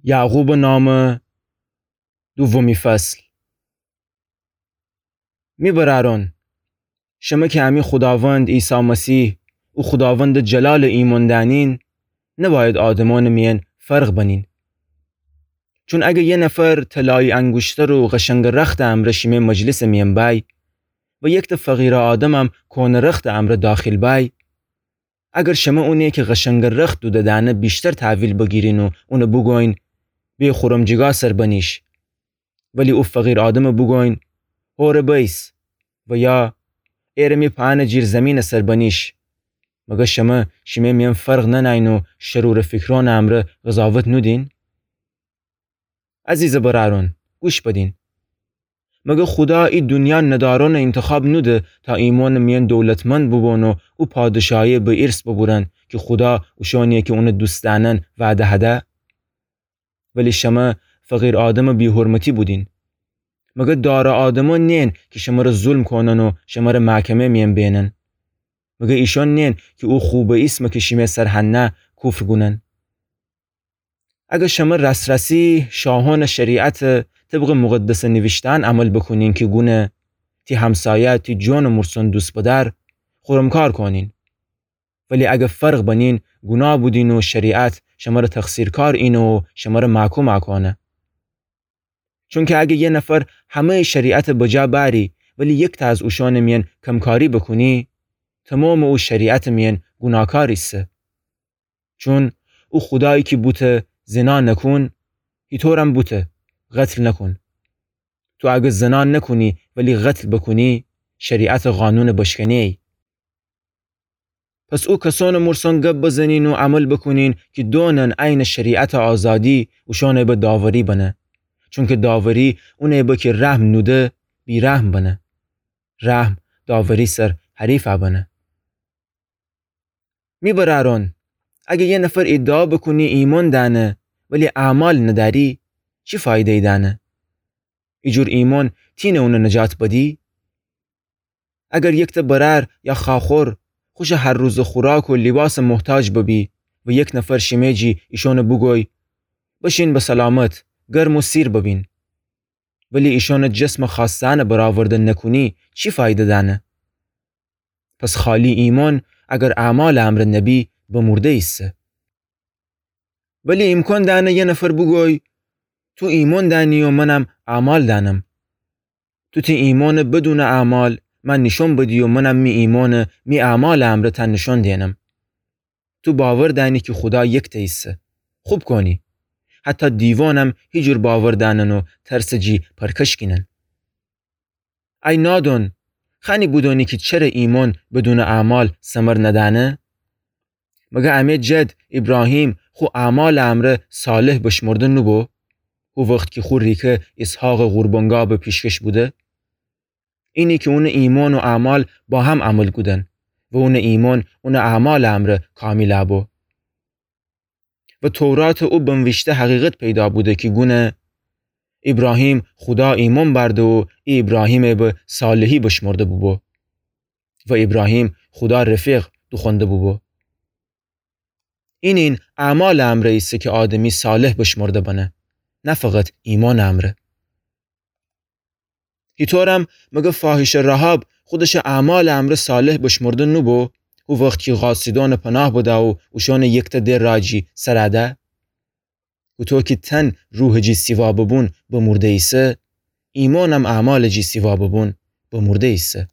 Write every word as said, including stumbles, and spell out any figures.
یعقوبٚ نامه، دومی فصل. می برأرأن، شمه کی امی خوداوند عیسی مسیح او خوداوندٚ جلالٚ ایمأن دأنین، نبأید آدمأنٚ میأن فرق بنین. چون اگر یه نفر طلایی انگوشتر و قشنگٚ رختٚ امرأ شیمه مجلسٚ میأن بأی و یکتأ فقیرٚ آدمم کؤنه رختٚ امرأ داخیل بأی، اگر شمه اونی کی قشنگٚ رخت دوده دأنه ویشتر تحویل بگیرین و اون بوگوین، به خورمجیگا سر بنیش، ولی او فقیرٚ آدم بوگوین، هوره بأیس، و یا، ایره می پأنٚ جیر زیمینٚ سر بنیش، مگر شمه شیمه میأن فرق ننأیین و شرورٚ فیکرأنٚ امرأ قضاوت نودین؟ عزیزٚ برأرأن، گوش بدین. مگر خودا ای دونیا ندارأنٚ اینتخاب نوده تا ایمأنٚ میأن دولتمند بوبون و او پادشاهی به ایرث ببورن کی خودا اوشأنی کی اون دوست دأنن وعده هده؟ ولی شمه فقیرٚ آدم بی‌حرمتی بودین. مگر دارٚ آدمأن نین کی شمره ظلم کونن و شمره محکمه میأن بینن؟ مگر ایشأن نین کی او خوبٚ ایسم کی شیمه سر هنه کفر گونن؟ اگر شمه راس‌راسی شاهأنٚ شریعت طبقٚ مقدسٚ نیویشته‌یأن عمل بوکونین کی گونه، تی همسایه تی جونٚ مرسن دوست بدأر، خورم کار کونین. ولی اگر فرق بنین، گوناه بودین و شریعت شمره تقصیرکار اینه و شمره محکوم کونه. چونکی اگر یه نفر همه‌یٚ شریعت بجا بأری، ولی یکتأ از اوشأنٚ میأن کمکاری بوکونی، تومامٚ او شریعتٚ میأن گوناهکار ایسه. چون او خودایی کی بوته زنا نکون، هیطورم بوته قتل نکون. تو اگر زنا نکونی ولی قتل بوکونی، شریعتٚ قانون بشکنه‌یی. پس او کسأنٚ مرسن گب بزنین و عمل بوکونین کی دونن عینٚ شریعتٚ آزادی اوشأنٚ به داوری بنه. چونکی داوری اونٚ به کی رحم نوده بی‌رحم بنه. رحم داوری سر حریف بنه. می برأرأن، اگر یه نفر ادعا بوکونی ایمأن دأنه، ولی اعمال ندأری، چی فایده‌یی دأنه؟ ایجور ایمأن تینه اون نجات بدی؟ اگر یکتأ برأر یا خواخور خوشٚ هر روزٚ خوراک و لیباسٚ محتاج ببی و یک نفر شیمه جی ایشأن بوگوی، بشین به سلامت، گرم و سیر ببین، ولی ایشأنٚ جسمٚ خوأسته‌یأن برآورده نکونی، چی فایده دأنه؟ پس خالی ایمأن اگر اعمالٚ امرأ نبی، بمورده ایسه. ولی ایمکان دأنه یه نفر بوگوی، تو ایمأن دأنی و منم اعمال دأنم. تو تی ایمأنٚ بدونٚ اعمال مأ نیشأن بدی و منم می ایمأنٚ می اعمالٚ امرأ تأ نیشأن دینم. تو باور دأنی کی خودا یکتأ ایسه. خوب کونی. حتی دیوانم هیجور باور دأنن و ترسٚ جی پرکش کینن. ای نادون، خأنی بودونی کی چره ایمأن بدونٚ اعمال ثمر ندأنه؟ مگر امی جد ایبراهیم خو اعمالٚ امرأ صالح بشمرده نوبو، هو وخت کی خو ریکه ایسحاقٚ قربانگاه به پیشکش بوده؟ اینه کی اونٚ ایمأن و اعمال با هم عمل کودن و اونٚ ایمأن اونٚ اعمالٚ امرأ کامیل بو. و توراتٚ او بنویشته حقیقت پیدا بوده کی گونه، ایبراهیم خودا ایمأن بأرده و ای ایبراهیمٚ به صالحی بشمرده بوبو و ایبراهیم خودا رفیق دوخوأنده بوبو. اینین اعمالٚ امرأ ایسه کی آدمی صالح بشمرده بنه، نه فقط ایمأنٚ امرأ. هیطورم مگر فاحشه رحاب خودشٚ اعمالٚ امرأ صالح بشمرده نوبو، هو وخت کی قاصدأنٚ پناه بده و اوشأنٚ یکتأ ده راجی سر ده؟ هوطو کی تن روحٚ جی سیوا ببون بمورده ایسه، ایمأنم اعمالٚ جی سیوا ببون بمورده ایسه.